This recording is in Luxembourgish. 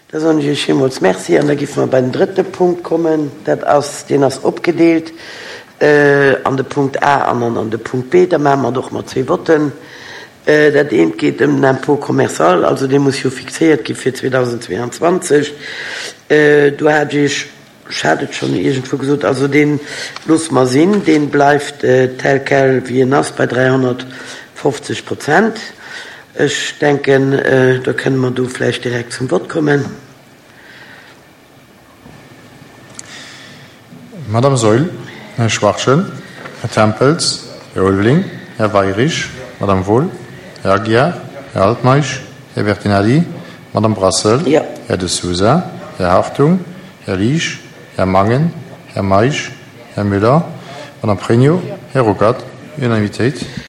Da soen ech Iech villmools Merci an da géife mer bei den drëtte Punkt kommen. Dat ass, deen ass opgedeelt an de Punkt A an an an de Punkt B. Da maache mer et och mat zwee Votten. Dat eent geet ëm den Impôt commercial, also dee muss jo fixéiert gi fir 2022. Do hat ech Iech, ech hat et schonn iergendwou gesot, also dee loosse mer sinn, dee bleift tel quel wéi en ass bei 350 Prozent. Ech denken, da kënne mer do vläicht direkt zum Vott kommen. Madame Saeul, Här Schwachtgen, Här Tempels, Här Ulveling, Här Weirich, Madame Wohl, Här Aguiar, Här Altmeisch, Här Bertinelli, Madame Brassel, Här De Sousa, Här Hartung, Här Liesch, Här Mangen, Här Meisch, Här Müller, Madame Pregno, Här Ruckert. Unanimitéit.